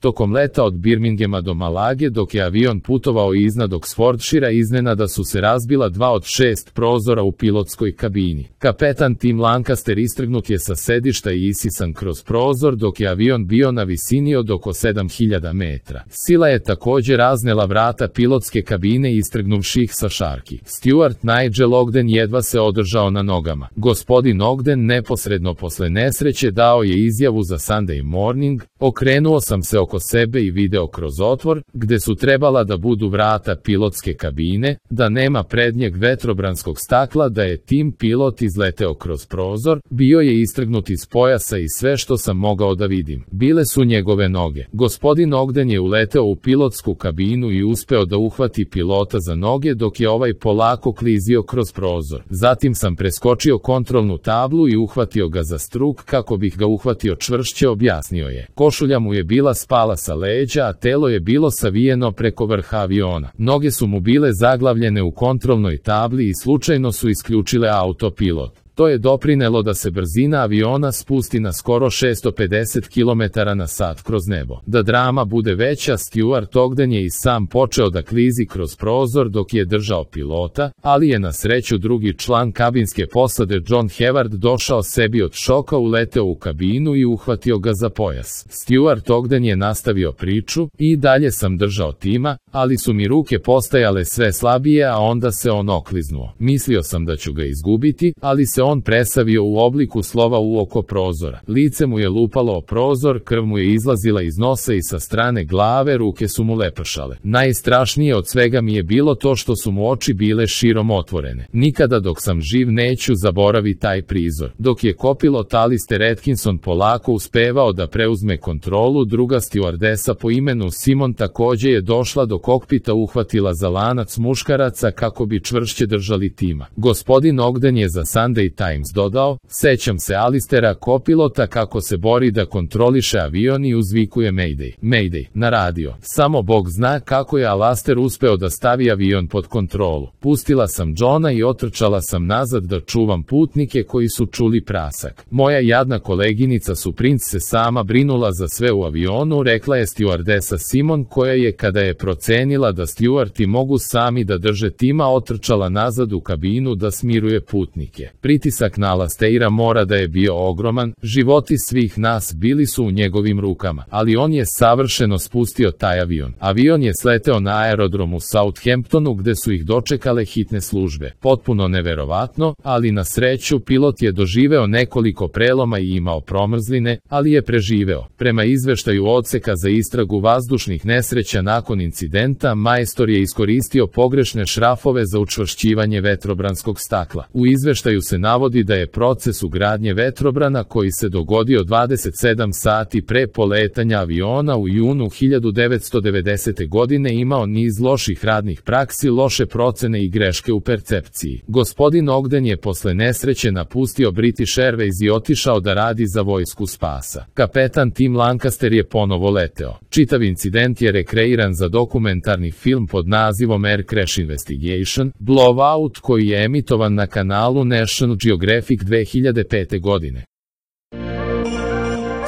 Tokom leta od Birminghama do Malage dok je avion putovao iznad Oxfordshira iznenada su se razbila 2 od 6 prozora u pilotskoj kabini. Kapetan Tim Lancaster istrgnut je sa sedišta i isisan kroz prozor dok je avion bio na visini od oko 7000 metra. Sila je također raznela vrata pilotske kabine istrgnuvši ih sa šarki. Steward Nigel Ogden jedva se održao na nogama. Gospodin Ogden neposredno posle nesreće dao je izjavu za Sunday Morning: okrenuo sam se oko sebe i video kroz otvor, gde su trebala da budu vrata pilotske kabine, da nema prednjeg vetrobranskog stakla, da je Tim pilot izleteo kroz prozor, bio je istrgnut iz pojasa i sve što sam mogao da vidim bile su njegove noge. Gospodin Ogden je uleteo u pilotsku kabinu i uspeo da uhvati pilota za noge dok je ovaj polako klizio kroz prozor. Zatim sam preskočio kontrolnu tablu i uhvatio ga za struk kako bih ga uhvatio čvršće, objasnio je. Košulja mu je bila spala sa leđa, a telo je bilo savijeno preko vrha aviona. Noge su mu bile zaglavljene u kontrolnoj tabli i slučajno su isključile autopilot. To je doprinelo da se brzina aviona spusti na skoro 650 km/h kroz nebo. Da drama bude veća, Stewart Ogden je i sam počeo da klizi kroz prozor dok je držao pilota, ali je na sreću drugi član kabinske posade John Heward došao sebi od šoka, uleteo u kabinu i uhvatio ga za pojas. Stewart Ogden je nastavio priču: i dalje sam držao Tima, ali su mi ruke postajale sve slabije, a onda se on okliznuo. Mislio sam da ću ga izgubiti, ali se on presavio u obliku slova u oko prozora. Lice mu je lupalo o prozor, krv mu je izlazila iz nosa i sa strane glave, ruke su mu lepršale. Najstrašnije od svega mi je bilo to što su mu oči bile širom otvorene. Nikada dok sam živ neću zaboraviti taj prizor. Dok je kopilot Alistair Atkinson polako uspevao da preuzme kontrolu, druga stewardesa po imenu Simon takođe je došla do kokpita, uhvatila za lanac muškaraca kako bi čvršće držali Tima. Gospodin Ogden je za Sunday Times dodao: sećam se Alistera kopilota kako se bori da kontroliše avion i uzvikuje Mayday, Mayday na radio. Samo Bog zna kako je Alastair uspeo da stavi avion pod kontrolu. Pustila sam Johna i otrčala sam nazad da čuvam putnike koji su čuli prasak. Moja jadna koleginica Suprinc se sama brinula za sve u avionu, rekla je stewardesa Simon, koja je, kada je procenila da stewardi mogu sami da drže Tima, otrčala nazad u kabinu da smiruje putnike. Pritisak na Alastaira mora da je bio ogroman, životi svih nas bili su u njegovim rukama, ali on je savršeno spustio taj avion. Avion je sleteo na aerodromu u Southamptonu gde su ih dočekale hitne službe. Potpuno neverovatno, ali na sreću pilot je doživeo nekoliko preloma i imao promrzline, ali je preživeo. Prema izveštaju odseka za istragu vazdušnih nesreća nakon incidenta, majstor je iskoristio pogrešne šrafove za učvršćivanje vetrobranskog stakla. U izveštaju se navodi da je proces ugradnje vetrobrana koji se dogodio 27 sati pre poletanja aviona u junu 1990. godine imao niz loših radnih praksi, loše procene i greške u percepciji. Gospodin Ogden je posle nesreće napustio British Airways i otišao da radi za vojsku spasa. Kapetan Tim Lancaster je ponovo leteo. Čitav incident je rekreiran za dokumentarni film pod nazivom Air Crash Investigation, Blowout, koji je emitovan na kanalu National Geographic 2005. godine.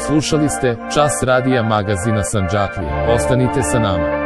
Slušali ste Čas radija magazina Sandžaklije. Ostanite sa nama.